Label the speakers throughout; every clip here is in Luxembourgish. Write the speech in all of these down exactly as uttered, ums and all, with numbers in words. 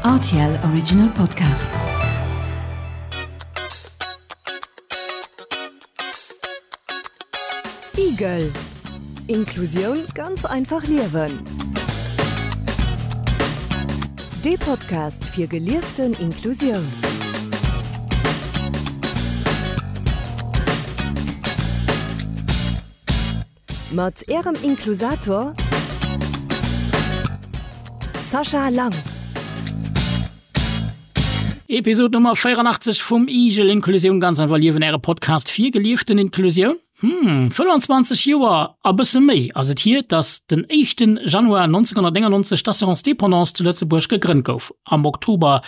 Speaker 1: R T L Original Podcast.
Speaker 2: Igel. Inklusioun ganz einfach liewen. De Podcast fir gelieften Inklusioun. Mat Ärem Inklusator Sascha Lang.
Speaker 3: Episod Nummer véieranaachtzeg vum Igel Inklusioun ganz einfach liewen, äre Podcast fir gelieften Inklusioun. Hm, fënnwanzwanzeg Joer a bësse méi ass et hier, dass den éischten Januar nonzénghonnertnéngannonzeg d'Assurance Dépendance zu Lëtzebuerg gegrënnt gouf. Am Oktober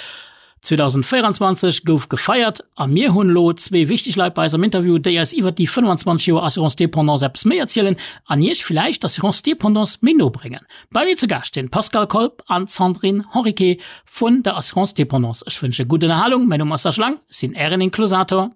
Speaker 3: zweedausendvéieranzwanzeg gouf gefeiert a mir hunn elo zwee wichteg Leit bei eis am Interview, déi eis iwwert déi fënnwanzwanzeg Joer Assurance Dépendance eppes méi erzielen an iech villäicht d'Assurance Dépendance méi no bréngen. Bei mir zu Gaascht sinn d'Pascale Kolb an d'Sandrine Henriquet vun der Assurance Dépendance. Ech wënsche gutt Ënnerhalung, mäin Numm ass Serge Lang, sinn ären Inklusator.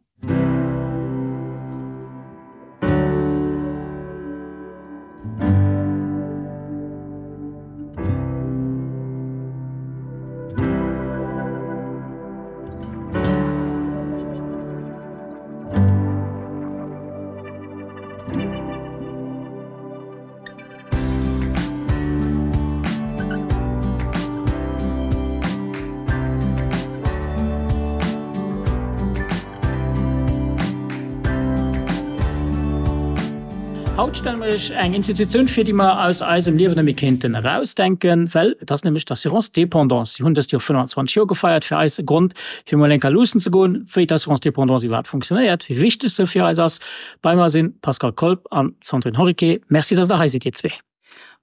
Speaker 3: Haut stelle mer iech eng Institutioun vir, déi mer aus eisem Liewen net méi kéinten erausdenken, well et ass nämlech d'Assurance Dépendance. Si hunn dëst Joer fënnwanzwanzeg Joer gefeiert. Fir eis e Grond, fir mol eng Kéier luussen ze goen, wéi d'Assurance Dépendance iwwerhaapt funktionéiert, wéi wichteg se fir eis ass. Bei mer sinn d'Pascale Kolb an d'Sandrine Henriquet. Merci, dass Der hei sidd, Dir zwee.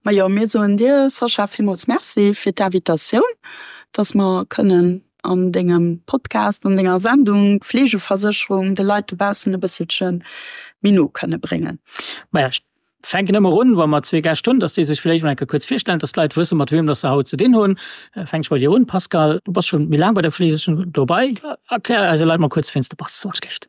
Speaker 4: Majo, mir soen dir, Sascha, villmools Merci fir d'Invitatioun, dass mer kënnen an dengem Podcast, an denger Sendung d'Fleegeversécherung de Leit dobaussen e bësselche méi no kënne bréngen.
Speaker 3: Maja, ech fänken ëmmer un, wa mer zwee Gäscht hunn, dass déi sech villäicht mol eng Kéier kuerz virstellen, dass d'Leit wëssen, mat weem dass se haut ze dinn hunn. Fänk ech bei dir un, Pascale. Du bass schonn méi laang bei der Fleegeversécherung dobei. Erklär eise Leit mol kuerz, wien s de bass, wann ech géif.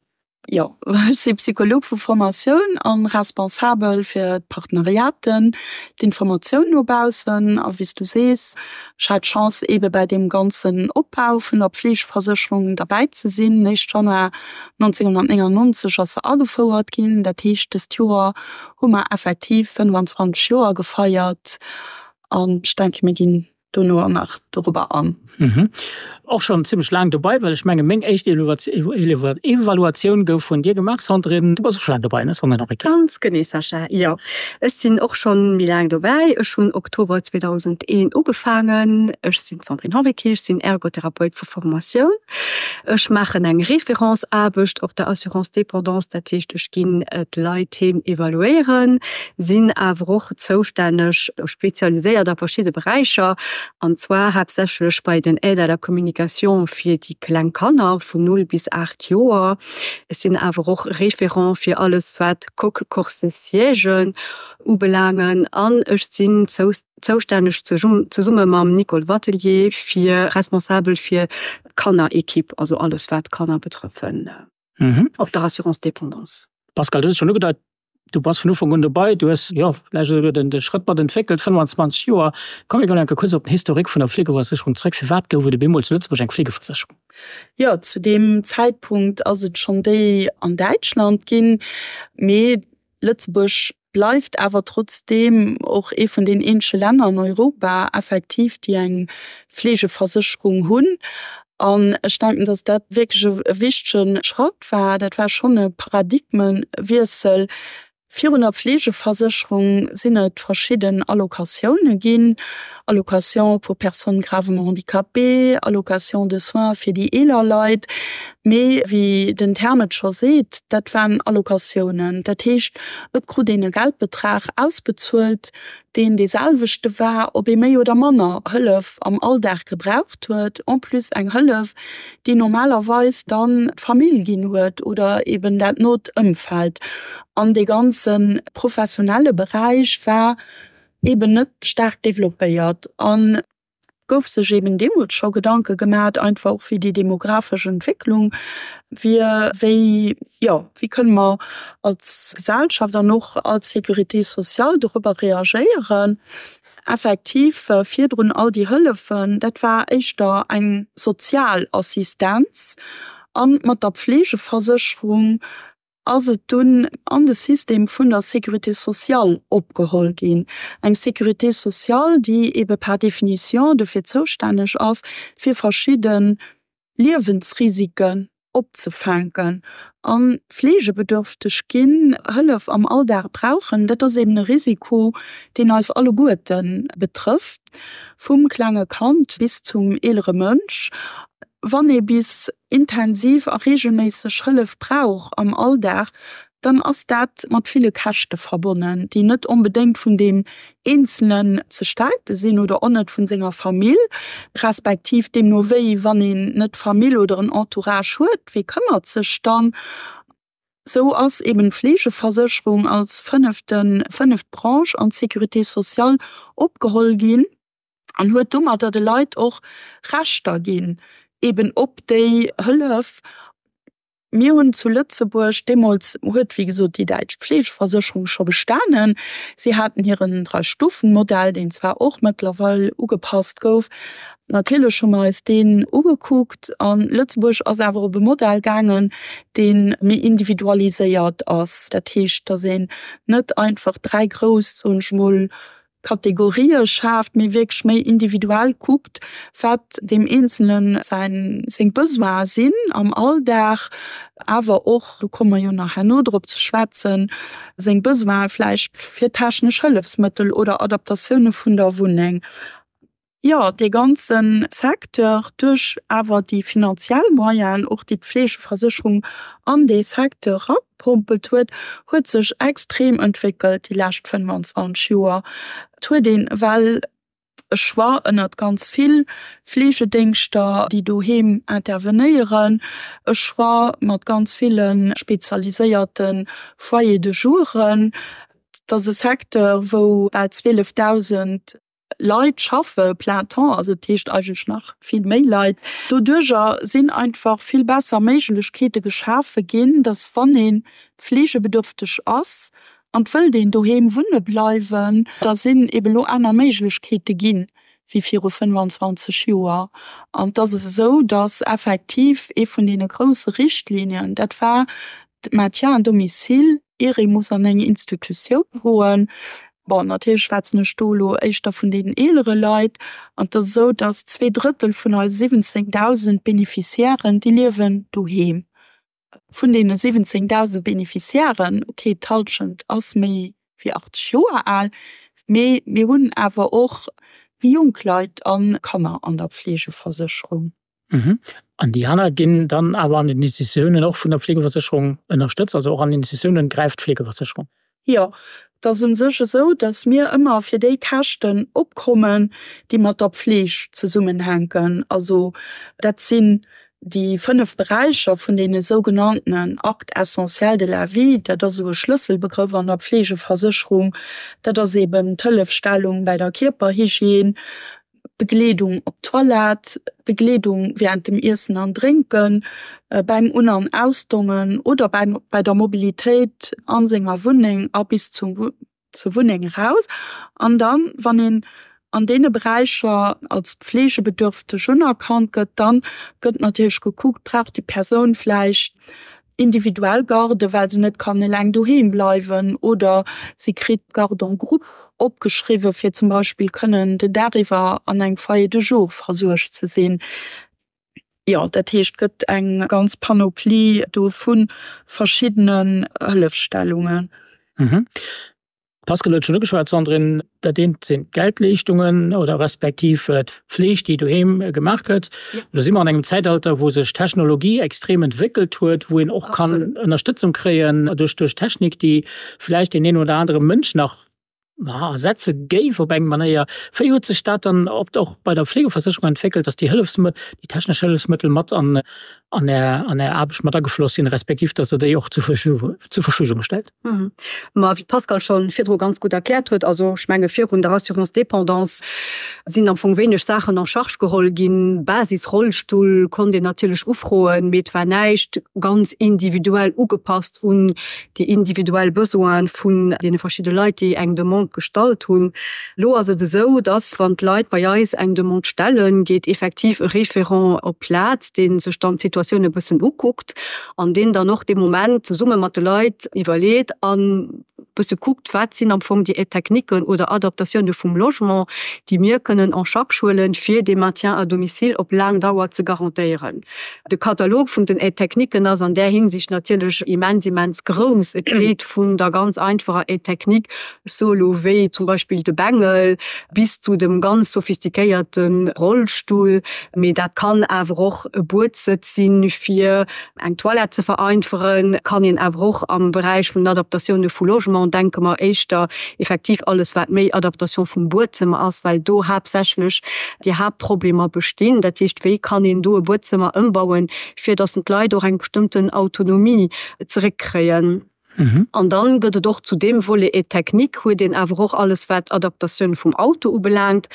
Speaker 4: Jo, ech si Psycholog vu Formatioun a responsabel fir d'Partenariaten, d'Informatioun no baussen. A wéi s du sees, ech hat d'Chance eebe bei deem ganzen Opbau vun der Pflegeversécherung derbäi ze sinn. Éischt Januar nonzénghonnertnéngannonzeg ass se agefouert ginn. Dat heescht, dëst Joer hu mer effektiv fënnwanzwanzeg Joer gefeiert. An ech denke mir ginn dono och nach dorobber an.
Speaker 3: Mhm. Och schonn zimmlech laang dobei, well ech menge meng éischt Evaluatioun gouf vun dir gemaach, Sandrine. Du bass och scho laang dobei, ne Sandrine Henriquet?
Speaker 5: Ganz genee, Sascha, jo. Ech sinn och schonn méi laang dobäi. Ech hunn Oktober zweedausendeen ugefaangen. Ech sinn d'Sandrine Henriquet, ech sinn Ergotherapeut vu Formatioun. Ech maachen eng Référenceaarbecht op der Assurance Dépendance, dat heescht ech ginn d'Leit heem evaluéieren, sinn awer och zoustänneg, spezialiséiert a verschidde Beräicher, an zwar haaptsächlech bei den Aides à la communication fir déi kleng Kanner vun null bis aacht Joer. Ech sinn awer och Référent fir alles wat Coque, Corset, Siègen ubelaangen an ech sinn zoustänneg zesumme mam Nicole Wattelier fir responsabel fir d'Kannerequipe, also alles wat d'Kanner betrëffen op der Assurance dépendance.
Speaker 3: Pascale, du hues et schonn ugedeit, du bass vun Ufank un dobei, du hues, jo, vläicht esouguer den de Schrëtt mat entwéckelt, fënnwanzwanzeg Joer. Komm mir goen eng Kéier kuerz op den Historique vun der Fleegeversécherung zréck. Firwat gouf et op eemol zu Lëtzebuerg eng Fleegeversécherung?
Speaker 4: Jo, zu deem Zäitpunkt ass et schonn déi an Däitschland ginn, mee Lëtzebuerg bleift awer trotzdeem och ee vun den eenzege Länner an Europa effektiv, déi eng Fleegeversécherung hunn. An ech denken, datt dat wierklech e wichtege Schratt war. Dat war schonn e Paradigmewiessel. Virun der Fleegeversécherung sinn et verschidden Allocatioune ginn, Allocation pour personnes gravement handicapées, Allocation de soins fir déi eeler Leit. Mee wéi den Term et scho seet, dat waren Allocatiounen. Dat heescht, et krut een e Geldbetrag ausbezuelt, deen dee selwechte war, ob ee méi oder manner Hëllef am Alldag gebraucht huet, en plus eng Hëllef, déi normalerweis dann d'Famill ginn huet oder eben dat not Ëmfeld. An dee ganze professionelle Beräich war eben net staark developpéiert. An Gouf sech eben deemools scho Gedanke gemat, einfach och wéi déi demografesch Entwécklung wier, wéi, jo, wéi kënne mer als Gesellschaft an och als Sécurité sociale dorobber reagéieren. Effektiv virdrun all déi Hëllefen, dat war éischter eng sozial Assistenz a mat der Pflegeversécherung ass et dunn an de System vun der Sécurité sociale opgeholl ginn. Eng Sécurité sociale, déi ebe par définition dofir zoustänneg ass, fir verschidde Liewensrisiken opzefänken. A fleegebedürfteg ginn, Hëllef am Alldag brauchen, dat ass eben e Risiko, deen eis alleguerte betrëfft, vum klenge Kand bis zum eelere Mënsch. Wann ee bis intensiv a reegelméisseg Hëllef brauch am Alldag, dann ass dat mat ville Käschte verbonnen, déi net onbedéngt vun deem Eenzelen ze stäipe sinn oder och net vun senger Famill, respektiv deemno wéi, wann een net Famill oder en Entourage huet, wee këmmert sech dann? Sou ass eben d'Fleegeversécherung als fënnefte, fënneft Branche an d'Sécurité sociale opgeholl ginn an huet domadder de Leit och Rechter ginn eben op déi Hëllef. Mir hunn zu Lëtzebuerg, deemools huet wéi gesot déi däitsch Pflegeversécherung scho bestanen, si haten hiren Dräi-Stufen-Modell, deen zwar och mëttlerweil ugepasst gouf, natierlech hu mer eis deen ugekuckt an Lëtzebuerg ass awer op e Modell gaangen, dee méi individualiséiert ass. Dat heescht, datt een net einfach dräi grouss, soen ech mol, Kategorië schaaft, mee wierklech méi individuell kuckt, wat deem Eenzele säin, seng Besoine sinn am Alldag, awer och, do komme mer jo nach herno drop ze schwätzen, seng Besoine vläicht fir technesch Hëllefsmëttel oder Adaptatioune vun der Wunneng. Jo, dee ganze Secteur, duerch awer déi finanziell Moyenen och, déi d'Fleegeversécherung an dee Secteur eragepompelt huet, huet sech extrem entwéckelt déi lescht fënnwanzwanzeg Joer. Et huet een ewell e Choix ënnert ganz vill Fleegedéngschter, déi doheem intervenéieren, e Choix mat ganz ville spezialiséierte Foyers de jouren. Et ass e Secteur, wou bal zwielefdausend Leit schaffe plein temps, also dat heescht eigentlech nach vill méi Leit. Doduerjer sinn einfach vill besser Méiglechkeete geschafe ginn, dass wann ee fleegebedürfteg ass an et wëllt een doheem wunne bleiwen, da sinn eeben elo aner Méiglechkeete ginn wéi viru fënnefanzwanzeg Joer. An et ass esou, dass effektiv ee vun deene grousse Richtlinien, dat war de Maintien à domicile, ier ee muss an eng Institutioun goen. Bon, natierlech schwätzen ech do elo éischter vun deenen eelere Leit. An et ass esou, datt zwee Drëttel vun eise siwwenzéngdausend Beneficiairen, déi liewen doheem. Vun deene siwwenzéngdausend Beneficiairen, okay, d'Hallschent ass méi wéi achtzeg Joer al, mee mir hunn awer och méi jonk Leit a Kanner an der Pflegeversécherung.
Speaker 3: An déi aner ginn dann awer an den Institutiounen och vun der Pflegeversécherung ënnerstëtzt, also och an den Institutiounen gräift d'Pflegeversécherung?
Speaker 4: Jo, et ass u sech esou, datt mir ëmmer fir déi Käschten opkommen, déi mat der Pfleg zesummenhänken. Also dat sinn déi fënnef Beräicher vun deene sougenanntenen Actes essentiels de la vie, dat ass esou e Schlësselbegrëff an der Pflegeversécherung, dat ass eeben d'Hëllefstellung bäi der Kierperhygiène, Begleedung op d'Toilette, Begleedung während dem Iessen an Drénken, beim Un an Ausdongen oder beim bei der Mobilitéit a senger Wunneng a bis zum zur Wunneng eraus. An dann, wann een an deene Beräicher als pflegebedürfteg unerkannt gëtt, dann gëtt natierlech gekuckt, brauch déi Persoun vläicht individuell Garde, well se net kann eleng doheem bleiwen, oder si kritt Garde en groupe opgeschriwwen, fir zum Beispill kënnen den Dag iwwer an engem Foyer de jour versuergt ze sinn. Jo, dat heescht, et gëtt eng ganz Panoplie do vu verschiddenen Hëllefstellungen.
Speaker 3: D'Pascale huet schonn ugeschwat, Sandrine, dat eent sinn d'Geldleeschtungen oder respektiv d'Fleeg, déi doheem gemaach gëtt. Elo si mer an engem Zäitalter, wou sech d'Technologie extrem entwéckelt huet, wou een och kann Ënnerstëtzung kréien duerch Technik, déi vläicht deen een oder anere Mënsch nach ersetze géif op eng Manéier. Wéi huet sech dat dann och bei der Fleegeversécherung entwéckelt, dass déi Hëllefsmëttel, déi technesch Hëllefsmëttel mat an an Är, an Är Aarbecht mat agefloss sinn, respektiv dass Der déi och zur Verfügung, zur Verfügung stellt.
Speaker 5: Ma wéi d'Pascale scho virdru ganz gutt erkläert huet, also ech menge virun der Assurance dépendance sinn am Fong wéineg Saachen en charge geholl ginn. Basisrollstull konnt een natierlech ufroen, mee et war näischt ganz individuell ugepasst un déi individuell Besoine vun deene verschidde Leit, déi eng Demande gestallt hunn. Elo ass et esou, dass wann d'Leit bei eis eng Demande stellen, geet effektiv e Référent op d'Plaz, dee sech dann d'Situatioun e bëssen ukuckt an deen dann och dee Moment zesumme mat de Leit iwwerleet an e bësse kuckt, wat sinn am Fong déi Aides-techniquen oder Adaptatioune vum Logement, déi mir kënnen en charge huelen, fir dee Maintien à domicile op laang Dauer ze garantéieren. De Katalog vun den Aides-techniquen ass an där Hinsicht natierlech immens, immens grouss. Et geet vun der ganz einfacher Aide technique, ech soe lo wéi zum Beispill de Bengel, bis zu dem ganz sophistiquéierte Rollstull. Mee dat kann awer och e Buedsëtz sinn, fir eng Toilette ze vereinferen, kann een awer och am Beräich vun den Adaptatioune vu Logement, denke mer éischter effektiv alles wat méi Adaptation vum Buedzëmmer ass, well do haaptsächlech déi Haaptproblemer bestinn. Dat heescht, wéi kann een do e Buedzëmmer ëmbauen, fir datt d'Leit och eng bestëmmten Autonomie zeréckkréien. An dann gëtt et och zu deem Volet Aide technique, huet een awer och alles wat Adaptatioun vum Auto ubelaangt,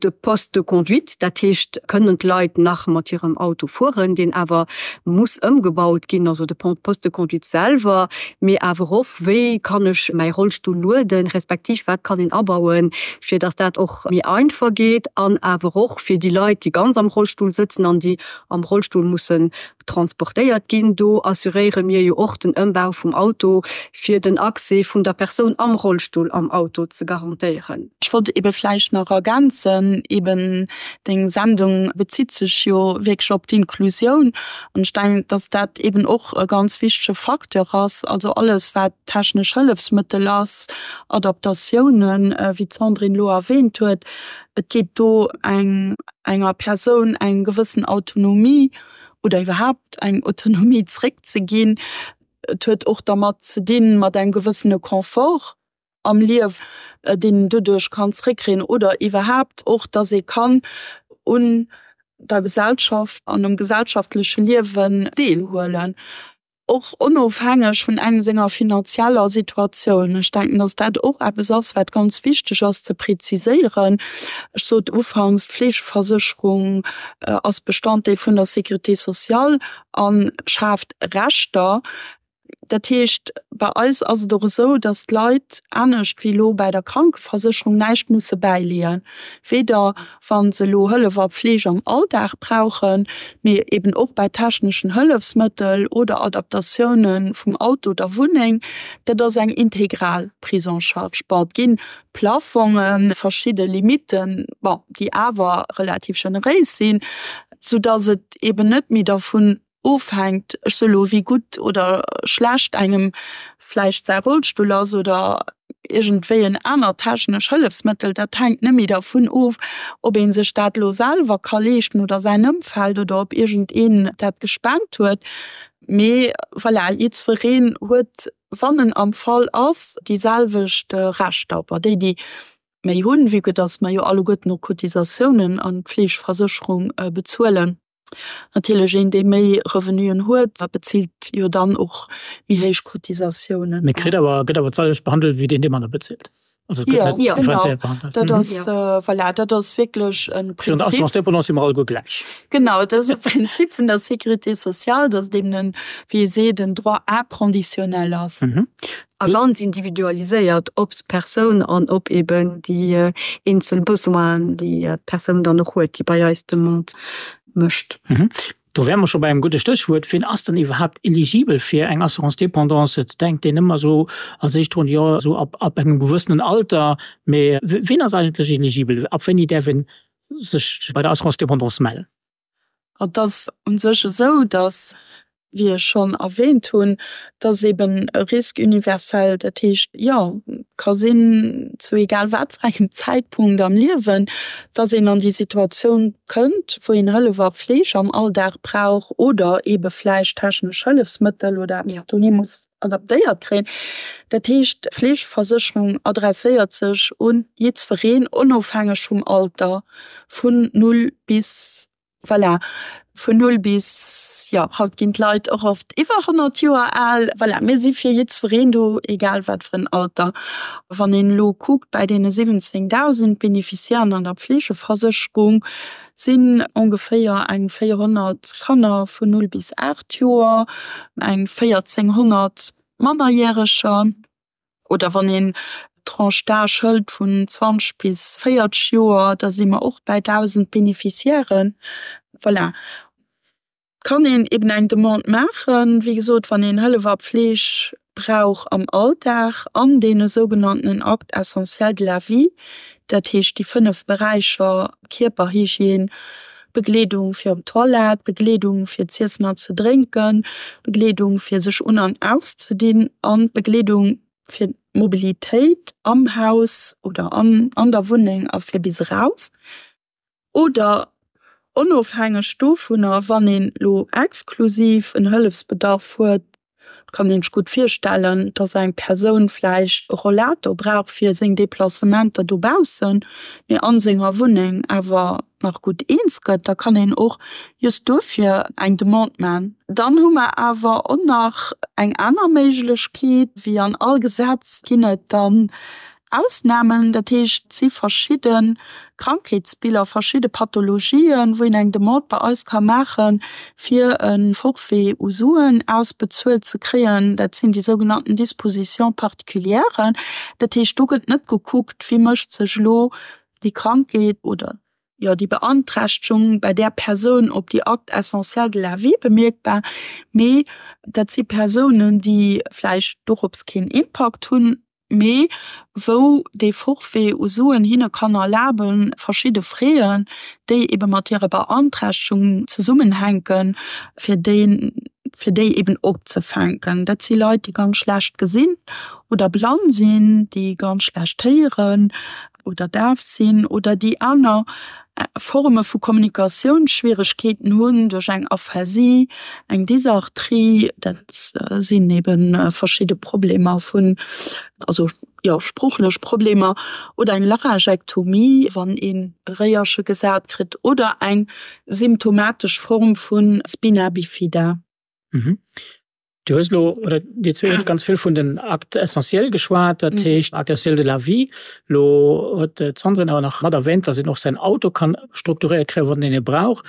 Speaker 5: de Poste de conduite, dat heescht kënnen d'Leit nach mat hirem Auto fueren, deen awer muss ëmgebaut ginn, also de Poste de conduite selwer, mee awer och wéi kann ech mäi Rollstull lueden, respektiv wat kann een abauen, fir datt dat och méi einfach geet an awer och fir déi Leit, déi ganz am Rollstull sëtzen an déi am Rollstull mussen transportéiert ginn. Do assuréiere mir jo och den Ëmbau vum Auto, fir den Accès vun der Persoun am Rollstull am Auto ze garantéieren.
Speaker 4: Ech wollt ebe vläicht nach ergänzen, eben deng Sendung bezitt sech jo wierklech op d'Inklusioun an ech denken, dass dat eben och e ganz wichtege Facteur ass, also alles wat technesch Hëllefsmëttel ass, Adaptatiounen, wéi d'Sandrine elo erwähnt huet. Et geet do eng enger Persoun eng gewëssen Autonomie oder iwwerhaapt eng Autonomie zréckzeginn. Et huet och dermat ze dinn, mat engem gewëssene Confort am Liew, deen een doduerch kann zréckkréien oder iwwerhaapt och, dass ee kann un der Gesellschaft an um gesellschaftleche Liewen deelhuelen. Och onofhängeg vun engem senger finanzieller Situatioun. Ech denken, dass dat och eppes ass, wat ganz wichteg ass ze präziséieren. Ech sot ufanks, d'Fleegeversécherung ass Bestanddeel vun der Sécurité sociale a schaaft Rechter. Dat heescht, bei eis ass et och esou, dass d'Leit, anescht wéi elo bäi der Krankeversécherung, näischt musse bäileeën, weder wa se elo Hëllef a Fleeg am Alldag brauchen, mee eben och bei techneschen Hëllefsmëttel oder Adaptatioune vum Auto oder Wunneng. Dat ass eng integral Prise en charge. Bon, et gi Plafongen, verschidde Limitten, bon, déi awer relativ generéis sinn, soudass et eben net méi dervun ofhänkt, ech soe lo, wéi gutt oder schlecht engem vläicht säi Rollstull ass oder iergendwéi en anert technesch Hëllefsmëttel. Dat hänkt net méi dervun of, ob ee sech dat elo selwer ka leeschten oder säin Ëmfeld oder ob iergendeen dat gespent huet. Mee voilà, jiddwereen huet, wann en am Fall ass, déi selwecht Rechter. Bon, déi, déi méi hunn, vue que dass mer jo alleguerten och Cotisatiounen an d'Fleegeversécherung bezuelen, Natierlech een, dee méi Revenuen huet, bezilt jo dann och méi héich Cotisatiounen.
Speaker 3: Mee kritt awer, gëtt awer d'selwecht behandelt wéi deen, dee manner bezilt. Also et gëtt net differenzéiert behandelt.
Speaker 4: Jo, genau. Dat ass, voilà, dat ass wierklech e
Speaker 3: Prinzip. Virun der Assurance dépendance si mer alleguer gläich.
Speaker 4: Genau, dat ass e Prinzip vun der Sécurité sociale, datt et eben en, wéi ee seet, en Droit inconditionnel ass.
Speaker 5: A ganz individualiséiert op d'Persoun an op eben déi eenzel Besoinen, déi d'Persoun dann och huet, déi bei eis d'Demande mécht.
Speaker 3: Do wäre mer scho bei engem gudde Stéchwuert, Wien ass dann iwwerhaapt eligibel fir eng Assurance dépendance? Et denkt een ëmmer esou als éischt drun, jo, esou ab, ab engem gewëssenen Alter. Mee wien ass eigentlech eligibel? Ab wéini däerf ee sech bei der Assurance dépendance mellen?
Speaker 4: Et ass u sech esou, datt, wéi ech schonn erwähnt hunn, dass eben e Risque universel, dat heescht, jo, ka sinn, zu egal wat fir engem Zäitpunkt am Liewen, dass een an déi Situatioun kënnt, wou een Hëllef a Fleeg am Alldag brauch oder eebe vläicht technesch Hëllefsmëttel oder eppes doheem muss adaptéiert kréien. Dat heescht, d'Fleegeversécherung adresséiert sech u jiddwereen, onofhängeg vum Alter, vun null bis Voilà, vun null bis, jo, haut ginn d'Leit och oft iwwer honnert Joer al. Voilà, mir si fir jiddwereen do, egal wat fir en Alter. Wann een elo kuckt, bei deene siwwenzéngdausend Beneficiairen an der Pflegeversécherung sinn ongeféier eng véierhonnert Kanner vun null bis aacht Joer, eng véierzénghonnert Mannerjäreger. Oder wann een d'Tranche d'âge hëlt vun zwanzeg bis véierzeg Joer, da si mer och bäi dausend Beneficiairen. Voilà. Kann een eben eng Demande maachen, wéi gesot, wann een Hëllef a Pfleg brauch am Alldag an deene sougenanntenen Actes essentiels de la vie, dat heescht déi fënnef Beräicher Kierperhygiène, Begleedung fir op d'Toilette, Begleedung fir z'iessen an ze drénken, Begleedung fir sech un an auszedinn an Begleedung fir d'Mobilitéit am Haus oder an an der Wunneng a fir bis eraus. Oder onofhängeg dovunner, wann een elo exklusiv en Hëllefsbedarf huet, kann een sech gutt virstellen, dass eng Persoun vläicht e Rollator brauch fir seng Deplacementer dobaussen, mee a senger Wunneng awer nach gutt eens gëtt, da kann een och just dofir eng Demande man. Dann hu mer awer och nach eng aner Méiglechkeet, wéi an all Gesetz ginn et dann Ausnamen, dat heescht et si verschidde Krankheetsbiller, verschidde Pathologien, wou een eng Demande bei eis ka maachen, fir e Forfait u Suen ausbezuelt ze kréien. Dat sinn déi sougenannten Dispositions particulières. Dat heescht, do gëtt net gekuckt, wéi mécht sech elo déi Krankheet oder jo déi Beanträchtegung bei där Persoun op déi Actes essentiels de la vie bemierkbar, mee dat si Persounen, déi vläicht dorops keen Impakt hunn, mee wou dee Forfait u Suen hinne kann erlaben, verschidde Fräen, déi ebe mat hirer Beanträchtegung zesummenhänken, fir déi fir déi eben opzefänken. Dat si Leit, déi ganz schlecht gesinn oder blann sinn, déi ganz schlecht héieren oder daf sinn oder déi aner Forme vu Kommunikatiounsschwieregkeeten hunn duerch eng Aphasie, eng Dysarthrie. Dat sinn ebe verschidde Problemer vun, also jo, sproochlech Problemer oder eng Laryngektomie, wann een e Réierche gesat kritt oder eng symptomatesch Form vu Spina bifida.
Speaker 3: Du hues elo, oder dir zwee hutt ganz vill vun den Actes essentiels geschwat, dat heescht Actes essentiels de la vie. Elo huet d'Sandrine awer nach mat erwähnt, dass een och säin Auto kann strukturéiert kréien, wann een e brauch.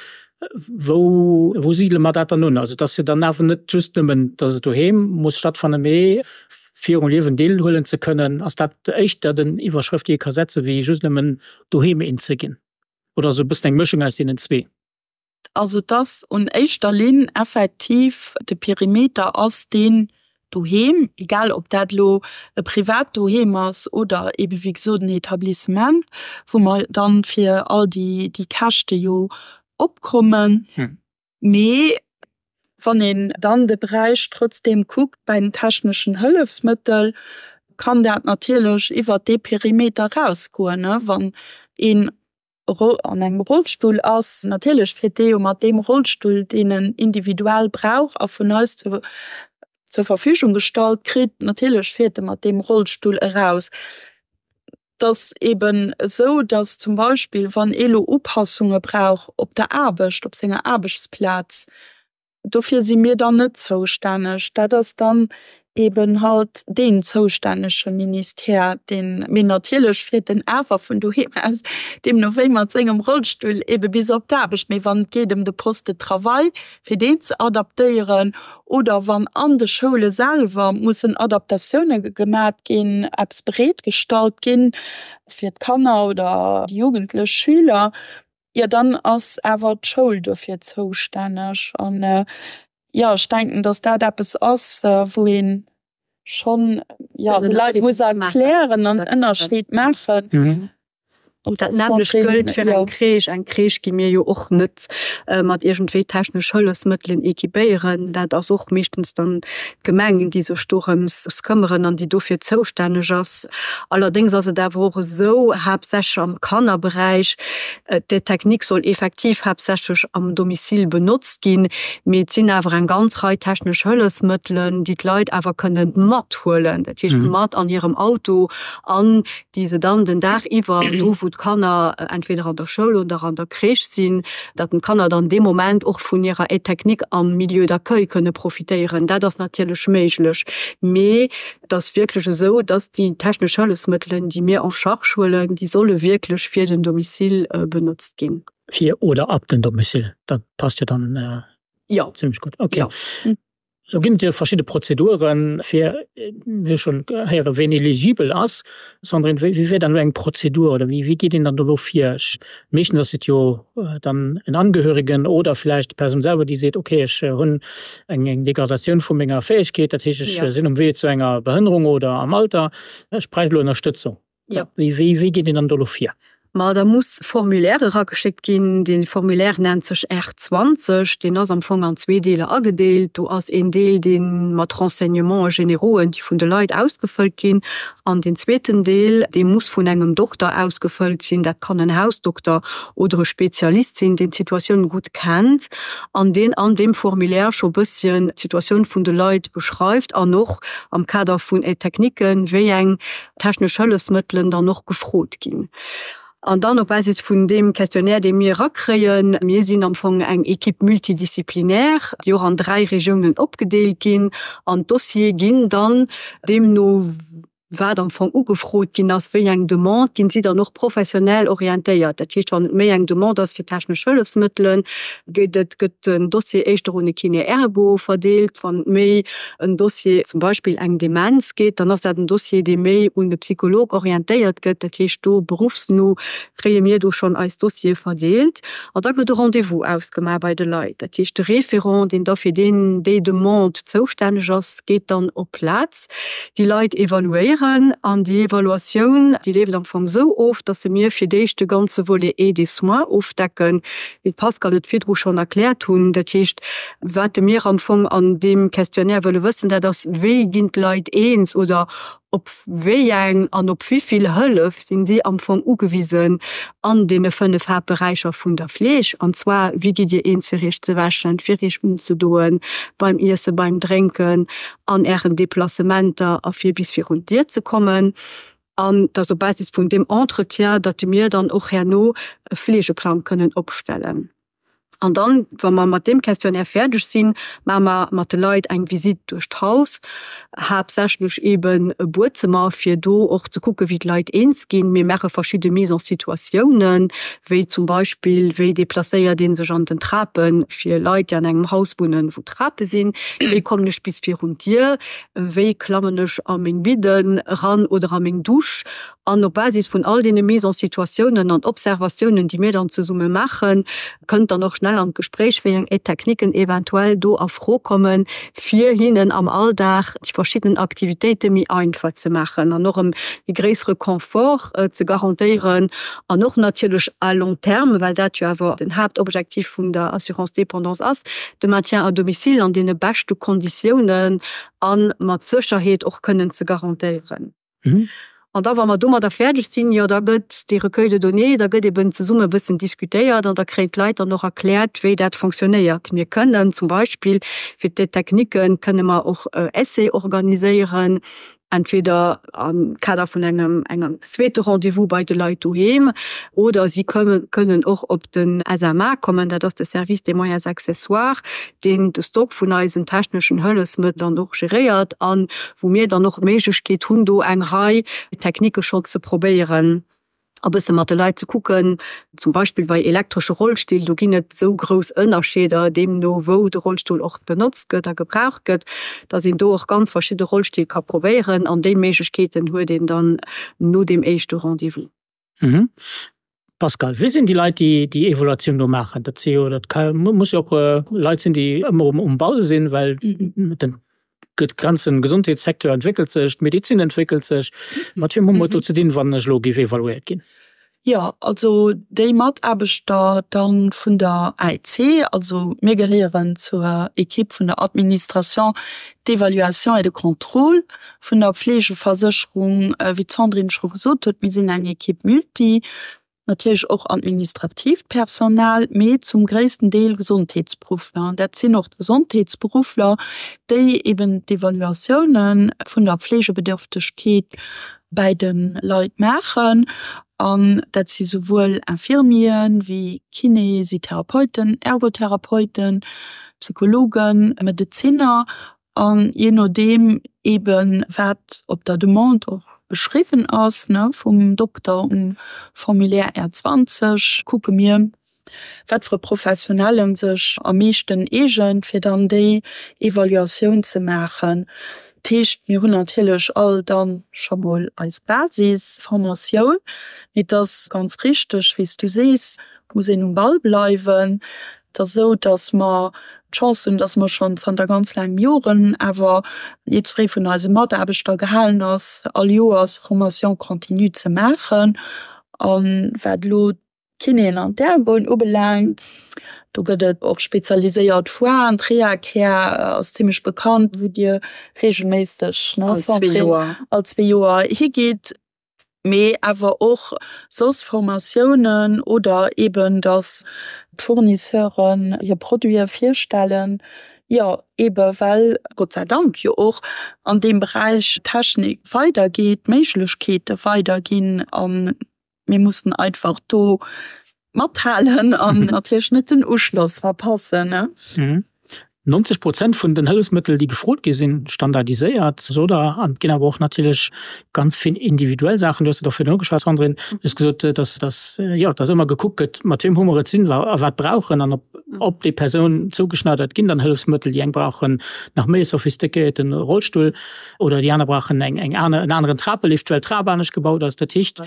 Speaker 3: Wou, wou sidele mer dat dann un? Also et ass jo dann awer net just nëmmen, dass et doheem muss stattfannen, mee fir um Liewen deelhuelen ze kënnen, ass dat éischter den Iwwerschrëft, déi ee ka setzen, wéi just nëmmen doheem eens ze ginn. Oder ass et e bëssen eng Mëschung aus deenen zwee?
Speaker 4: Also dass un éischter Linn effektiv de Perimeter ass, deen doheem, egal ob dat elo e privat Doheem ass oder eebe wéi gesot en Etablissement, wou mer dann fir all déi Käschte jo opkommen. Mee wann een dann de Beräich trotzdeem kuckt bei den techneschen Hëllefsmëttel, kann dat natierlech iwwert dee Perimeter erausgoen, wann een an engem Rollstull ass. Natierlech fiert dee jo mat deem Rollstull, deen en individuell brauch a vun eis zur Verfügung gestallt kritt, natierlech fiert e mat deem Rollstull eraus. Et ass eeben esou, datt zum Beispill, wann ee lo Upassunge brauch op der Aarbecht, op senger Aarbechtsplaz, Dofir si mir dann net zoustänneg. Dat ass dann eben halt deen zoustännege Ministère, deen, mee natierlech fiert en awer vun doheem aus deemno wéi mat sengem Rollstull ebe bis op d'Aarbecht. Mee wann et geet ëm de Poste de travail, fir deen ze adaptéieren, oder wann an de Schoule selwer mussen Adaptatioune gemat ginn, eppes bereetgestallt ginn fir d'Kanner oder déi jugendlech Schüler, Jo, dann ass awer d'Schoul dofir zoustänneg. An jo, ech denken, datt dat eppes ass, wou ee schonn, jo, de Leit muss erklären an Ënnerscheed maachen.
Speaker 5: Dat nämmlecht gëllt fir eng Crèche. Eng Crèche gi mir jo och net mat iergendwéi technesch Hëllefsmëttelen equipéieren. Dat ass och meeschtens dann d'Gemeng, déi sech dorëms këmmeren an déi dofir zoustänneg ass. Allerdéngs ass et awer och esou, haaptsächlech am Kannerberäich, Déi Technik soll effektiv haaptsächlech am Domicile benotzt ginn, mee et sinn awer eng ganz Rei technesch Hëllefsmëttelen, déi d'Leit awer kënnen mathuelen, dat heescht mat an hirem Auto an déi se dann den Dag iwwer, do wou d'Kanner entweder an der Schoul oder an der Crèche sinn, datt d'Kanner dann dee Moment och vun hirer Aide technique am Milieu d'accueil kënne profitéieren. Dat ass natierlech méiglech. Mee et ass wierklech esou, datt déi technesch Hëllefsmëttelen, déi mir en charge huelen, déi solle wierklech fir den Domicile benotzt ginn.
Speaker 3: Fir oder ab den Domicile, dat passt jo dann zimmlech gutt. Okay. Lo ginn et jo verschidde Prozeduren, fir, mir hu schonn héieren, ween eligibel ass. Sandrine, wéi wär dann elo eng Prozedur oder wéi geet een dann do elo vir? Ech, meeschtens ass et jo dann en Angehörigen oder vläicht d'Persoun selwer, déi seet, okay, ech hunn eng eng Degradatioun vu menger Fäegkeet, dat heescht, ech sinn um Wee zu enger Behënnerung oder am Alter, ech bräicht elo Ënnerstëtzung. Wéi wéi geet een dann do elo vir?
Speaker 5: Ma da muss Formulaire erageschéckt ginn. Dee Formulaire nennt sech R zwanzeg. Deen ass am Fong an zwee Deeler agedeelt. Do ass een Deel, dee mat Renseignements générauxen, déi vun de Leit ausgefëllt ginn. An deen zweeten Deel, dee muss vun engem Dokter ausgefëllt sinn. Dat kann en Hausdokter oder e Spezialist sinn, deen d'Situatioun gutt kennt an deen an deem Formulaire scho bësschen d'Situatioun vun de Leit beschreift an och am Kader vun Aides techniques, wéi eng technesch Hëllefsmëttelen dann och gefrot ginn. An dann op Basis vun deem Questionnaire, dee mir erakréien, mir sinn am Fong eng Équipe multidisciplinaire, déi och an dräi Regiounen opgedeelt ginn, an d'Dossiere ginn dann deemno, wat am Fong ugefrot ginn ass, wéi eng Demande, ginn si dann och professionell orientéiert. Dat heescht, wann et méi eng Demande ass fir technesch Hëllefsmëttelen, gëtt et, gëtt den Dossier éischter un e Kiné-Ergo verdeelt. Wann et méi en Dossier, zum Beispill eng Demenz geet, dann ass dat en Dossier, dee méi un de Psycholog orientéiert gëtt. Dat heescht, do beruffsno kréie mir do schonn eis Dossiere verdeelt. An da gëtt e Rendez-vous ausgemaach bei de Leit. Dat heescht, de Référent, deen da fir deen, déi Demande zoustänneg ass, geet dann op d'Plaz déi Leit evaluéieren. An déi Evaluatioun, déi leeft am Fong esou of, datt se mir fir d'éischt de ganze Volet Aide et soins ofdecken, wéi d'Pascale et virdru schonn erkläert hunn. Dat heescht, wat mir am Fong an deem Questionnaire wëlle wëssen, dat ass, Wéi ginn d'Leit eens oder op wéi eng an op wéi vill Hëllef sinn si am Fong ugewisen an deene fënnef Haaptberäicher vun der Fleeg? An zwar, Wéi gitt Dir eens, fir Iech ze wäschen, fir Iech unzedoen, beim Iessen, beim Drénken, an Ären Deplacementer a fir bis virun d'Dier ze kommen? An dass op Basis vun deem Entretien, datt mir dann och herno e Fleegeplang kënnen opstellen. An dann, wa mer mat deem Questionnaire fäerdeg sinn, maache mer mat de Leit eng Visitt duerch d'Haus, haaptsächlech eeben e Buedzëmmer, fir do och ze kucken, wéi d'Leit eens ginn. Mir maache verschidde Mise-en-situatiounen, wéi zum Beispill, wéi deplacéiert ee sech an den Trapen, fir Leit, déi an engem Haus wunnen, wou Trape sinn, wéi kommen ech bis virun d'Dier, wéi klammen ech a meng Bidden eran oder a meng Dusch. An op Basis vun all deene Mise-en-situatiounen an Observatiounen, déi mir dann zesumme maachen, kënnt dann och schnell an d'Gespréich, wéi eng Aide-techniquen eventuell do a Fro kommen, fir hinnen am Alldag déi verschidden Aktivitéite méi einfach ze maachen an och e méi gréissere Confort ze garantéieren an och natierlech à long terme, well dat jo awer den Haaptobjektiv vun der Assurance dépendance ass, de Maintien à domicile an deene beschte Konditiounen a mat Sécherheet och kënnen ze garantéieren. An da wa mer domadder fäerdeg sinn, jo da gëtt dee Recueil de données, da gëtt eben zesumme e bëssen diskutéiert an da kréien d'Leit dann och erkläert, wéi dat fonctionnéiert. Mir kënnen zum Beispill fir d'Aide-techniquen kënne mer och Essais organiséieren, entweder am Kader vun engem engem zweete Rendez-vous bei de Leit doheem oder si kënnen och op den S M A kommen, dat ass de Service des moyens accessoires, deen de Stock vun eisen techneschen Hëllefsmëttel dann och geréiert an wou mir dann och d'Méiglechkeet hunn, do eng Rei Techniquë schonn ze probéieren a bësse mat de Leit ze kucken, zum Beispill bei elektresche Rollstill, do ginn et esou grouss Ënnerscheeder, deemno wou de Rollstull och benotzt gëtt a gebraucht gëtt, datt een do och ganz verschidde Rollstill ka probéieren an déi Méiglechkeeten huet een dann no deem éischte Rendez-vous.
Speaker 3: Pascal, wie sinn déi Leit, déi déi Evaluatioun do maachen? Dat si jo, dat ka, muss jo och Leit sinn, déi ëmmer um Ball sinn, well den ganze Gesondheetssecteur entwéckelt sech, d'Medezin entwéckelt sech. Mat wiem hu mer et do ze dinn, wann ech elo géif evaluéiert ginn?
Speaker 4: Jo, also déi Mataarbechter dann vun der A E C, also mir gehéieren zur Equipe vun der Administration d'évaluation et de contrôle vun der Pflegeversécherung. Wéi d'Sandrine scho gesot huet, mir sinn eng Equipe multi, natierlech och administratiivt Personal, mee zum gréissten Deel Gesondheetsberuffler. An dat sinn och d'Gesondheetsberuffler, déi eben d'Evaluatioune vun der Pflegebedürftegkeet bäi de Leit maachen. An dat si souwuel Infirmieren, wéi Kinesitherapeuten, Ergotherapeuten, Psychologen, Medezinner an jee nodeem eeben, wat op der Demande och beschriwwen ass, ne, vum Dokter um Formulaire R zwanzeg, kucke mir, wat fir e Professionellen sech am meeschten eegent, fir dann déi Evaluatioun ze maachen. Dat heescht, mir hunn natierlech all dann scho mol eis Basisformatioun, mee et ass ganz richteg, wéi s du sees, et muss een um Ball bleiwen. Et ass esou, datt mer d'Chance hunn, datt mer schonn zanter ganz laangem Joren awer jiddweree vun eise Mataarbechter gehalen ass, all Joers Formation continue ze maachen. A wat elo d'Kinéen an d'Ergoen ubelaangt, do gëtt et och spezialiséiert Foiren. D'Rehacare ass zimmlech bekannt, wou Dir reegelméisseg, ne Sandrine, all zwee Joer higitt. Mee awer och soss Formatiounen oder eeben, datt d'Fournisseuren hir Produite virstellen. Jo, eebe well, Gott sei Dank, jo och an deem Beräich d'Technik weidergeet, d'Méiglechkeete weiderginn a mir mussen einfach do mathalen an natierlech net den Uschloss verpassen.
Speaker 3: Neunzeg Prozent vun den Hëllefsmëttel, déi gefrot gi sinn, standardiséiert, sot Der. An et ginn awer och natierlech ganz vill individuell Saachen. Du hues et och virdrun ugeschwat, Sandrine. Du hues gesot, dass, dass, jo, dass ëmmer gekuckt gëtt, mat wiem hu mer et sinn a wat brauch en an op, op déi Persoun zougeschneidert ginn dann Hëllefsmëttel. Déi eng brauchen nach méi e sophistiquéierten Rollstull oder déi aner brauchen eng, eng aner, en aneren Trapelift, well d'Trap anescht gebaut ass. Dat heescht,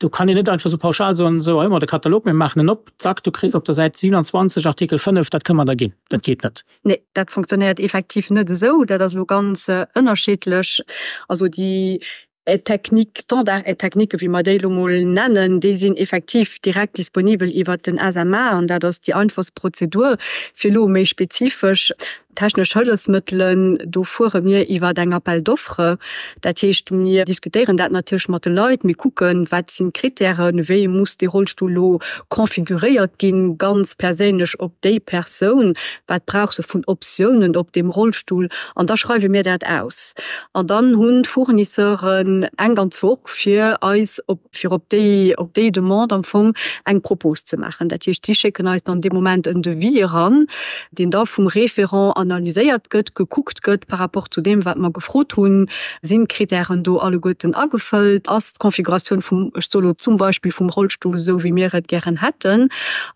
Speaker 3: do kann een net einfach esou pauschal soen, esou, hei hu mer de Katalog, mir maachen en op, zack, du kriss op der Säit siewenundzwanzeg Artikel fënnef, dat kënne mer der ginn. Dat geet net.
Speaker 5: Nee, dat funktionéiert effektiv net esou. Dat ass elo ganz ënnerschiddlech. Also déi Aide-technique, Standard-Aide-technique, wéi mer déi elo mol nennen, déi sinn effektiv direkt disponibel iwwert den S M A an dat ass déi einfachst Prozedur. Fir elo méi spezifesch technesch Hëllefsmëttelen, do fuere mir iwwert eng Appel d'offres. Dat heescht, mir diskutéieren dat natierlech mat de Leit, mir kucken, wat sinn d'Kritären, wéi muss dee Rollstull elo configuréiert ginn, ganz perséinlech op déi Persoun, wat brauch se vun Optiounen op deem Rollstull, an da schreiwe mir dat aus. An dann hunn d'Fournisseuren eng ganz Woch, fir eis op, fir op déi, op déi Demande am Fong eng Propos ze maachen. Dat heescht, déi schécken eis dann dee Moment en Devis eran, deen da vum Référent analyséiert gëtt, gekuckt gëtt par rapport zu deem, wat mer gefrot hunn, sinn d'Kritären do alleguerten agefëllt, ass d'Konfiguratioun vum, ech soe lo zum Beispill vum Rollstull esou, wéi mir et gären hätten.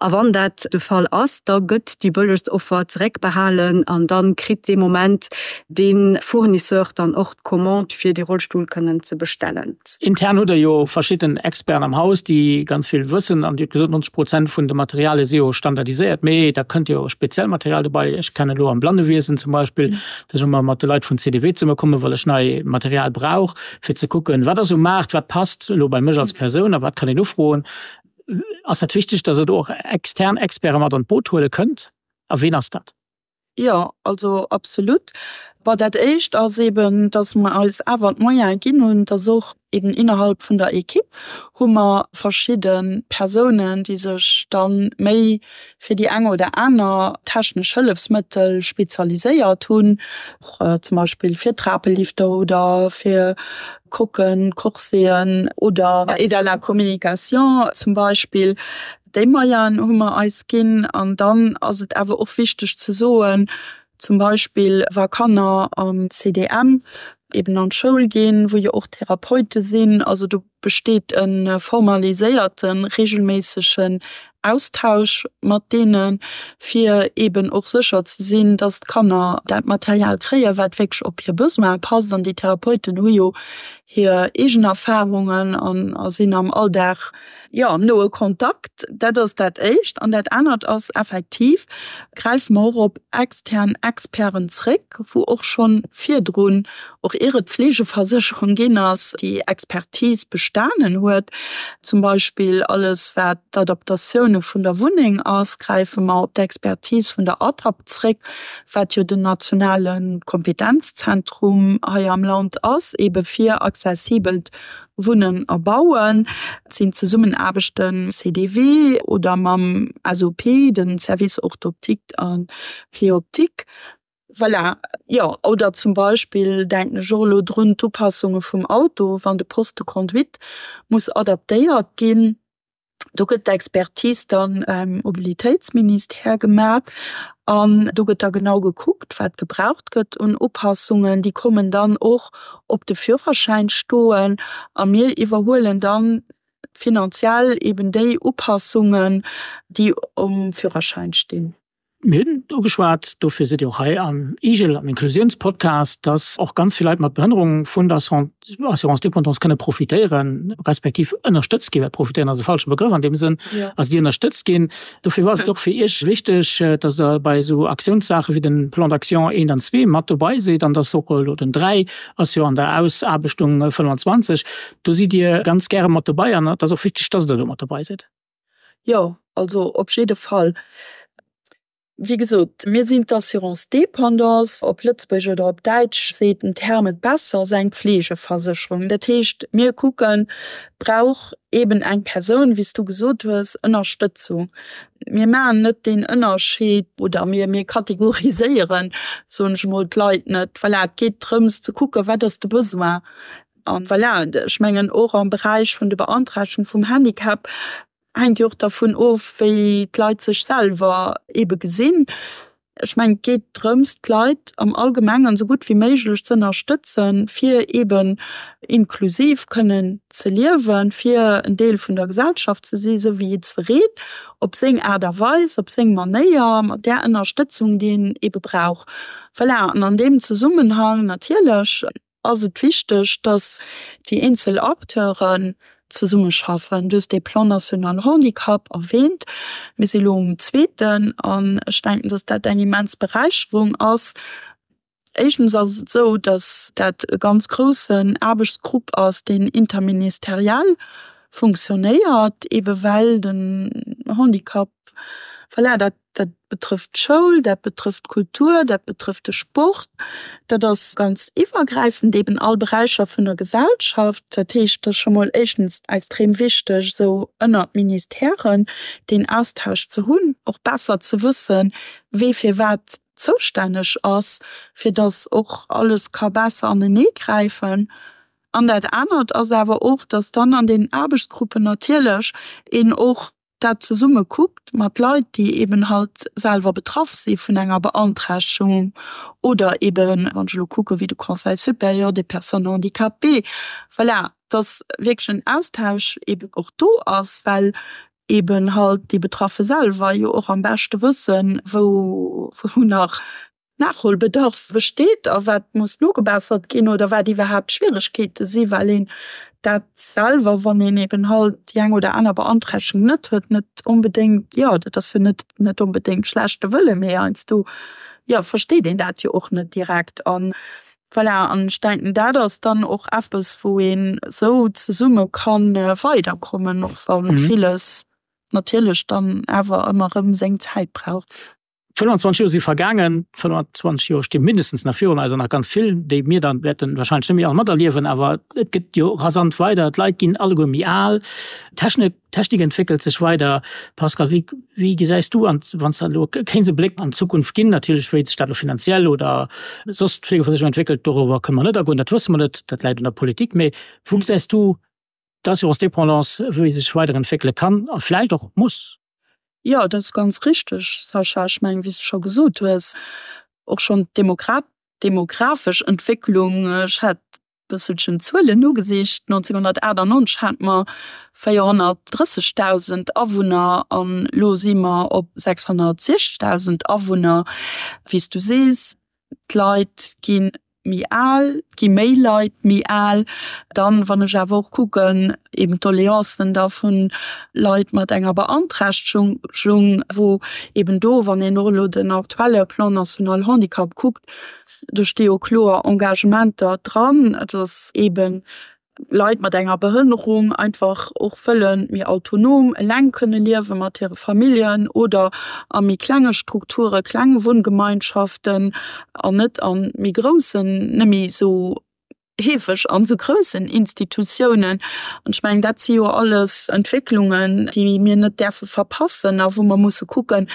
Speaker 5: A wann dat de Fall ass, da gëtt déi bëllegst Offer zeréckbehalen an da kritt dee Moment dee Fournisseur dann och d'Commande, fir dee Rollstull kënnen ze bestellen.
Speaker 3: Intern hutt Der jo verschidden Experten am Haus, déi ganz vill wëssen, an Dir hutt gesot, neunzeg Prozent vun de Materialie si jo standardiséiert, mee da kënnt jo speziell Material dobäi. Ech kennen elo am Blannewiesen zum Beispill, dass ech ëmmer mat de Leit vun C D W zesummekommen, well ech nei Material brauch, fir ze kucken, wat ass um Maart, wat passt elo bei mech als Persoun a wat kann een ufroen. Ass dat wichteg, dass Der do och extern Experte mat an d'Boot huele kënnt? A ween ass dat?
Speaker 4: Jo, also absolut. Bon, dat Éischt ass eben, dass mer eis awer d'Moyene ginn hunn, dass och eben innerhalb vun der Equipe hu mer verschidde Persounen, déi sech dann méi fir déi eng oder aner technesch Hëllefsmëttel spezialiséiert hunn, och zum Beispill fir Trapelifter oder fir Kocken, Corseten oder Aide à la communication zum Beispill. Déi Moyenen hu mer eis ginn. An dann ass et awer och wichteg ze soen, zum Beispill wa Kanner am C D M eben an d'Schoul ginn, wou jo och Therapeute sinn, also do besteet e formaliséierten, regelméissegen Austausch mat deenen, fir eben och sécher ze sinn, dass d'Kanner dat Material kréien, wat wierklech op hir Besoin passt. An déi Therapeuten hu jo hir eegen Erfahrungen an a sinn am Alldag, jo, am noe Kontakt. Dat ass dat Éischt. An dat anert ass effektiv, gräife mer och op extern Experten zréck, wou och schonn virdrun, och ier et d'Fleegeversécherung ginn ass, déi Expertise bestanen huet. Zum Beispill alles, wat d'Adaptatioune vun der Wunneng ass, gräife mer op d'Expertise vun der A T A P zréck, wat jo den nationale Kompetenzzentrum hei am Land ass, ebe fir accessibelt Wunnen a Bauen. Et sinn Zesummenaarbechten C D W oder mam S O P, den Service Orthoptique an Pleoptique. Voilà, jo. Oder zum Beispill, denken ech och elo drun, d'Upassunge vum Auto, wann de Poste de conduite muss adaptéiert ginn. Do gëtt d'Expertise dann beim Mobilitéitsministère gemaach an do gëtt da genau gekuckt, wat gebraucht gëtt un Upassungen. Déi kommen dann och op de Führerschäin stoen a mir iwwerhuelen dann finanziell eben déi Upassungen, déi um Führerschäin stinn.
Speaker 3: Mir hunn ugeschwat, dofir sidd Dir och hei am IGEL, am Inklusiounspodcast, dass och ganz vill Leit mat Behënnerung vun der Assurance dépendance kënne profitéieren, respektiv ënnerstëtzt ginn, well profitéieren ass e falsche Begrëff an deem Sënn, also déi ënnerstëtzt ginn. Dofir war et och fir Iech wichteg, dass Der bei esou Aktiounssaache wéi den Plan d'action eent an zwee mat dobei sidd an dass och elo den dräi ass jo an der Ausaarbechtung fënnwanzwanzeg. Do sidd Dir ganz gäre mat dobei an et ass och wichteg, dass Der do mat dobei sidd.
Speaker 4: Jo, also op jidde Fall. Wéi gesot, mir sinn d'Assurance dépendance, op Lëtzebuergesch oder op Däitsch seet den Term et besser, ass eng Pflegeversécherung. Dat heescht, mir kucken, brauch eeben eng Persoun, wéi s du gesot hues, Ënnerstëtzung. Mir maachen net deen Ënnerscheed oder mir, mir kategoriséieren, soen ech emol, d'Leit net. Voilà, et geet drëms ze kucken, wat ass de Besoin. A voilà, ech mengen och am Beräich vun de Beanträchtegung vum Handicap, Hänkt jo och dervun of, wéi d'Leit sech selwer eebe gesinn. Ech mengen, et geet drëms, d'Leit am Allgemengen esou gutt wéi méiglech ze ënnerstëtzen, fir eeben inklusiv kënnen ze liewen, fir en Deel vun der Gesellschaft ze sinn, esou wéi jiddwereen, op seng Aart a Weis, op seng Manéier, mat där Ënnerstëtzung, déi en eebe brauch. Voilà, an an deem Zesummenhang natierlech ass et wichteg, dass déi eenzel Acteuren zesummeschaffen. Du hues de Plan national handicap erwähnt. Mir si lo um zweeten an ech denken, dass dat eng immens Beräicherung ass. Éischtens ass et esou, dass dat e ganz groussen Aarbechtsgrupp ass, deen interministeriell funktionéiert, eebe well den Handicap, voilà, dat Dat betrëfft d'Schoul, dat betrëfft d'Kultur, dat betrëfft de Sport. Dat ass ganz iwwergräifend, eben all Beräicher vun der Gesellschaft. Dat heescht, et ass scho mol éischtens extrem wichteg, esou ënnert Ministèren deen Austausch ze hunn, och besser ze wëssen, wee fir wat zoustänneg ass, fir datt och alles ka besser aneneegräifen. An dat anert ass awer och, datt dann an deenen Aarbechtsgruppen natierlech een och dat zesumme kuckt mat Leit, déi eben halt selwer betraff si vun enger Beanträchtegung oder eben, wann ech elo kucke wéi de Conseil supérieur des personnes handicapées, voilà, dass wierklech en Austausch eben och do ass, well eben halt déi Betraffe selwer jo och am beschte wëssen, wou nach Nachholbedarf besteet a wat muss nogebessert ginn oder wat iwwerhaapt d'Schwieregkeete si well een dat selwer, wann een eben halt déi eng oder aner Beanträchtegung net huet, net onbedéngt, jo dat ass jo net net onbedéngt schlechte Wëlle mee heiansdo, jo, versteet een dat jo och net direkt. An voilà, an ech denken dat ass dann och eppes wou een esou zesumme ka weiderkommen, och wa villes natierlech dann awer ëmmer erëm seng Zäit brauch.
Speaker 3: fënnwanzwanzeg Joer si vergaangen, fënnwanzwanzeg Joer sti mindestens nach virun eis an nach ganz vill, déi mir dann wäerten wahrscheinlech net méi all materliewen. Awer et gëtt jo rasant weider, d'Leit ginn alleguer méi al, d'Technik, d'Technik entwéckelt sech weider. Pascal, wéi, wéi gesäis du an, wann s de elo kéints e Bléck an d'Zukunft ginn, natierlech wéi sech dat elo finanziell oder soss d'Fleegeversécherung entwéckelt, doriwwer kënne mer net agoen, dat wësse mer net, dat läit un der Politik, mee wou gesäis du d'Assurance dépendance, wéi se sech weiderentwéckele kann a vläicht och muss?
Speaker 4: Jo, dat ass ganz richteg, Sascha. Ech mengen, wéi s de scho gesot hues, och schonn d'demografesch Entwécklung, ech hat e bësselchen d'Zuelen nogesicht, nonzénghunnertaachtanonzeg hate mer véierhonnertdrëssegdausend Awunner an elo si mer op sechshonnertsiechzegdausend Awunner. Wéi s du sees, d'Leit gi méi al, et gi méi Leit méi al. Dann, wann ech awer och kucken, eben d'Doleancen da vu Leit mat enger Beanträchtegung, wou eben do, wann een och elo den aktuelle Plan national handicap kuckt, do sti jo kloer Engagementer dran, dass eben Leit mat enger Behënnerung einfach och wëlle méi autonom eleng kënne liewe mat hire Familljen oder a méi klenge Strukture, kleng Wunngemeinschaften an net a méi groussen, net méi esou heefeg an esou groussen Institutiounen. An ech mengen, dat si jo alles Entwécklungen, déi mir net däerfe verpassen a wou mer musse kucken,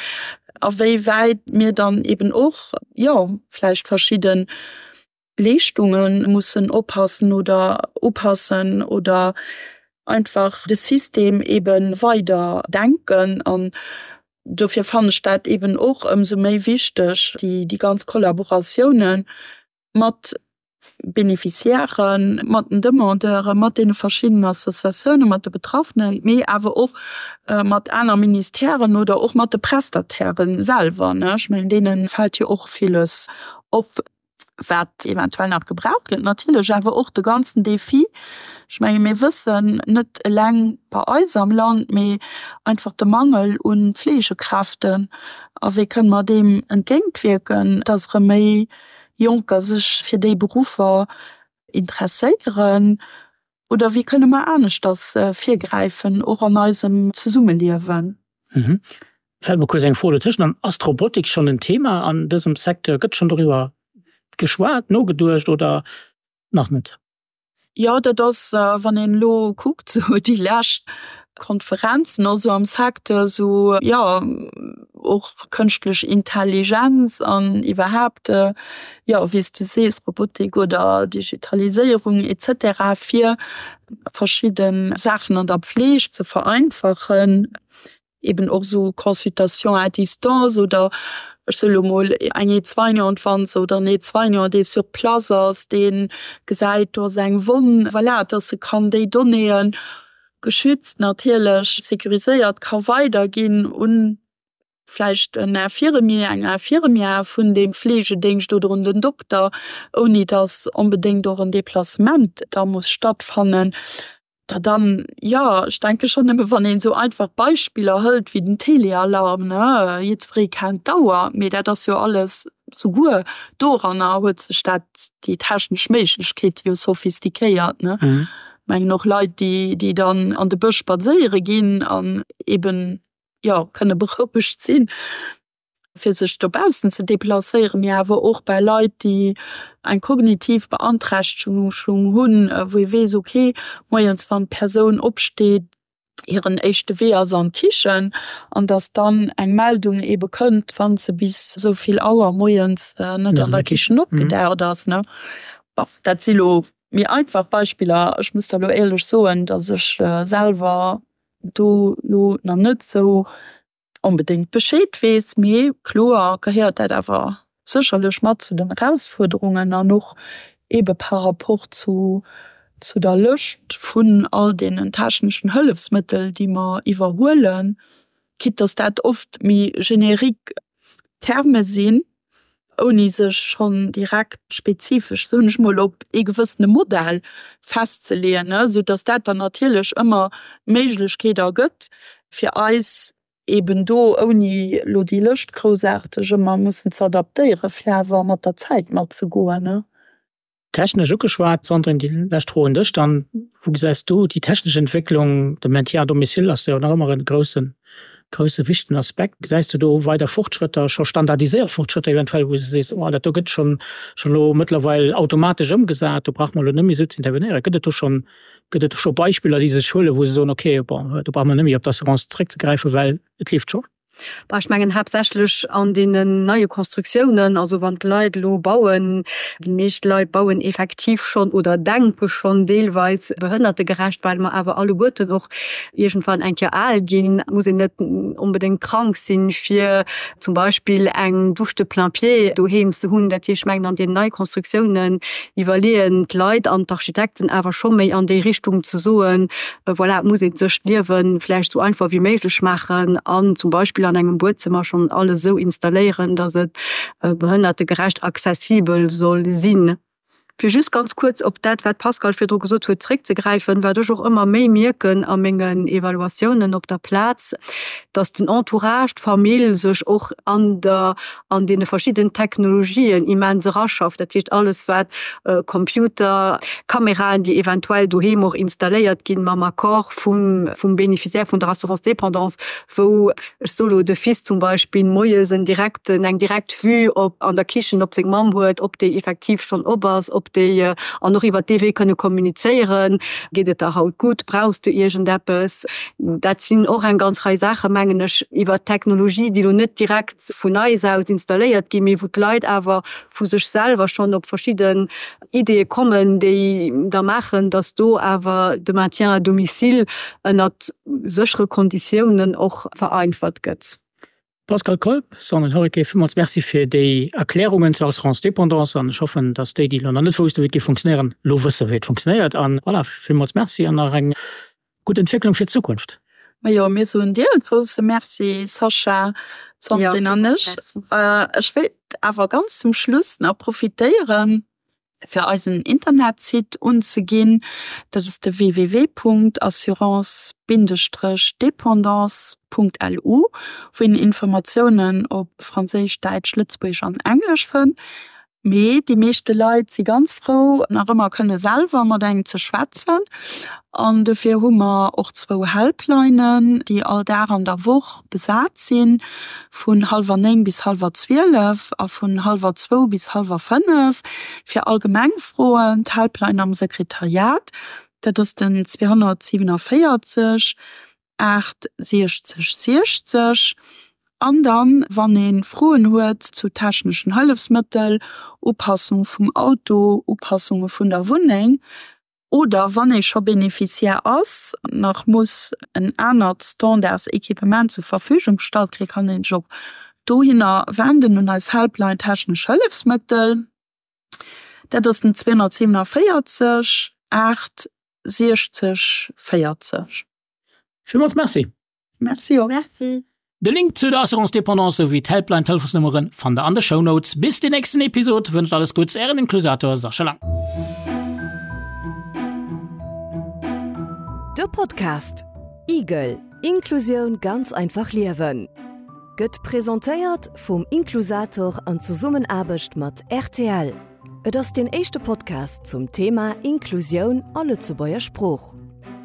Speaker 4: a wéi wäit mir dann eben och, jo, vläicht verschidde Leeschtunge mussen oppassen oder upassen oder einfach de System eben weider denken. An dofir fannen ech dat eben och ëmsou méi wichteg, déi, déi ganz Kollaboratiounen mat Beneficiairen, mat den Demandeuren, mat deene verschiddenen Associatiounen, mat de Betraffenen, mee awer och mat aner Ministèren oder och mat de Prestatairen selwer. Ech mengen, deene fält jo och villes op, wat eventuell nach gebraucht gëtt. Natierlech awer och de ganzen Defi, ech menge mir wëssen, net eleng bei eis am Land, mee einfach de Mangel u Fleegekräften. A wéi kënne mer deem entgéintwierken, dass erëm méi Jonker sech fir déi Beruffer interesséieren? Oder wéi kënne mer aneschters virgräifen, och an eisem Zesummeliewen?
Speaker 3: Fält mer kuerz eng Fro dotëschent an, Ass d'Robotik schonn en Thema an dësem Secteur? Gëtt schonn doriwwer geschwat, nogeduecht oder nach net?
Speaker 4: Jo, dat ass, wann een elo kuckt, esou déi lescht Konferenzen och esou am Secteur, esou, jo, och kënschtlech Intelligenz an iwwerhaapt, jo, wéi s du sees, Robotik oder Digitaliséierung et cetera, fir verschidde Saachen an der Pfleg ze vereinfachen. eben och esou Consultation à distance oder ech soe lo mol eng Aide-soignante, wann se oder en Aide-soignant, dee sur place ass, dee gesäit, do ass eng Wonn, voilà, dass e kann déi Donnéeë geschützt natierlech, sécuriséiert ka weiderginn un vläicht en Infirmier, eng Infirmière vun deem Fleegedéngscht oder un den Dokter, ouni dass onbedéngt och en Déplacement da muss stattfannen. Da dann, jo, ech denke schonn, nëmme wann een esou einfach Beispiller hëlt wéi den Telealarm, ne, jiddweree kennt d'Auer, mee dat ass jo alles, souguer doranner huet sech dat, déi technesch Méiglechkeete jo sophistiquéiert, ne. Mengen och Leit, déi, déi dann an de Bësch spadséiere ginn an eben, jo, kënne berouegt sinn, fir sech dobaussen ze deplacéieren, mee awer och bei Leit, déi eng kognitiv Beanträchtegung hunn, wou ee weess, okay, moies wann d'Persoun opsteet, hiren éischte Wee ass an d'Kichen, an datt dann eng Meldung eebe kënnt, wa se bis esou vill Auer moies net an der Kichen opgedaucht ass. Bon, dat si lo méi einfach Beispiller. Ech muss der lo éierlech soen, datt ech selwer do lo nach net esou onbedéngt Bescheed weess, mee kloer gehéiert dat awer sécherlech mat zu den Erausfuerderungen an och eebe par rapport zu zu der Lëscht vun all deenen techneschen Hëllefsmëttel, déi mer iwwerhuelen, quitte dass dat oft méi générique Terme sinn, ouni sech schonn direkt spezifesch, soen ech mol, op ee gewëssene Modell festzeleeën, esou dass dat dann natierlech ëmmer d'Méiglechkeet ergëtt, fir eis eben do, ouni elo déi Lëscht groussaarteg ëmmer mussen ze adaptéieren, fir awer mat der Zäit matzegoen.
Speaker 3: Technesch ugeschwat, Sandrine, déi lescht Fro un dech dann, Wou gesäis du déi technesch Entwécklung? De Maintien à domicile ass jo nach ëmmer e groussen, grousse wichtegen Aspekt. Gesäis du do weider Fortschrëtter, scho standardiséiert Fortschrëtter eventuell, wou s du sees, oh dat do gëtt schonn, schonn elo mëttlerweil automatesch ëmgesat, do brauche mer elo net méi esou ze intervenéieren? Gëtt et do schonn, gëtt et do scho Beispiller, déi sech huelen, wou se soen, okay, bon, do brauche mer net méi op d'Assurance zréckzegräifen, well et leeft scho?
Speaker 5: Bah, ech mengen haaptsächlech an deenen neie Konstruktiounen, also wann d'Leit elo bauen, déi meescht Leit bauen effektiv schonn oder denke schonn deelweis behënnertegerecht, well mer awer alleguerten och iergendwann eng Kéier al ginn, muss een net onbedéngt krank sinn, fir zum Beispill eng Douche de plain-pied doheem ze hunn. Dat heescht, ech mengen an deenen neie Konstruktiounen iwwerleeën d'Leit an d'Architekten awer scho méi an déi Richtung ze soen, voilà, et muss ee sech d'Liewe vläicht esou einfach wéi méiglech maachen an zum Beispill an engem Buedzëmmer schonn alles esou installéieren, datt et behënnertegerecht accessibel soll sinn. Fir just ganz kuerz op dat, wat d'Pascale virdru gesot huet, zréckzegräifen, wat ech och ëmmer méi mierken a mengen Evaluatiounen op der Plaz, dass den Entourage, d'Famill sech och an der, an deene verschiddenen Technologien immens eraschafft. Dat heescht alles wat Computer, Kameraen, déi eventuell doheem och installéiert ginn, mam Accord vum, vum Bénéficiaire vun der Assurance dépendance, wou, ech soe lo, de Fils zum Beispill moies en direkten, eng direkt Vue op an der Kichen op seng Mamm huet, ob déi effektiv schonn op ass, ob déi an och iwwert dee Wee kënne kommunizéieren, Geet et der haut gutt, brauchs du iergendeppes? Dat sinn och eng ganz Rei Saachen, mengen ech, iwwert d'Technologie, déi elo net direkt vun eis aus installéiert ginn, mee wou d'Leit awer vu sech selwer schonn op verschidden Ideeë kommen, déi da maachen, datt do awer de Maintien à domicile ënnert séchere Konditiounen och vereinfacht gëtt.
Speaker 3: Pascal Kolb, Sandrine Horiquet, villmools Merci fir déi Erklärungen zur Assurance dépendance an ech hoffen, datt déi, déi elo nach net woussten, wéi et géif funktionéieren, elo wësse wéi et funktionéiert. An voilà, villmools Merci an nach eng gutt Entwécklung fir d'Zukunft.
Speaker 4: Majo, mir soen dir e grousse Merci, Sascha, d'Sandrine an ech. Ech wéilt awer ganz zum Schluss nach profitéieren, fir eisen Internetsite unzeginn. Dat ass de www.assurance-dépendance.lu, wou een Informatiounen op Franséisch, Däitsch, Lëtzebuergesch an Englesch fënnt. Mee déi meeschte Leit si ganz frou, nach ëmmer kënne selwer mat engem ze schwätzen. An dofir hu mer och zwou Helplinen, déi all Dag an der Woch besat sinn, vun hallwer néng bis hallwer zwielef a vun hallwer zwou bis hallwer fënnef, fir allgemeng Froen. D'Helpline am Sekretariat, dat ass den zweehonnertsiewenundvéierzeg aacht siechzeg siechzeg. An dann, wann ee Froen huet zu techneschen Hëllefsmëttel, Upassung vum Auto, Upassunge vun der Wunneng oder wann ee scho Beneficiaire ass, nach muss en anert Standardsequipement zur Verfügung gestallt kréien, kann ee sech och dohinner wenden un eis Helpline Technesch Hëllefsmëttel. Dat ass den zweehonnertsiewenundvéierzeg aacht siechzeg véierzeg.
Speaker 3: Villmools Merci.
Speaker 4: Merci och.
Speaker 5: Merci.
Speaker 3: De Link zu der Assurance Dépendance souwéi d'Helpline Telefonsnummeren fannt der an de Shownotes. Bis den nächsten Episod wënscht alles Gutts ären Inklusator Sascha Lang.
Speaker 2: De Podcast Igel, Inklusioun ganz einfach liewen gëtt presentéiert vum Inklusator an Zesummenaarbecht mat rtl. Et ass deen éischte Podcast zum Thema Inklusioun a Lëtzebuerger Sprooch.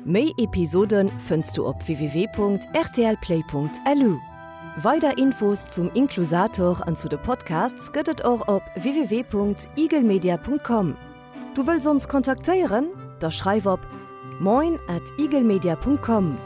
Speaker 2: Méi Episode fënns du op www.rtlplay.lu. Weider Infos zum Inklusator an zu de Podcasts gëtt et och op www.igelmedia.com. Du wëlls ons kontaktéieren? Da schreif op moin at igelmedia.com.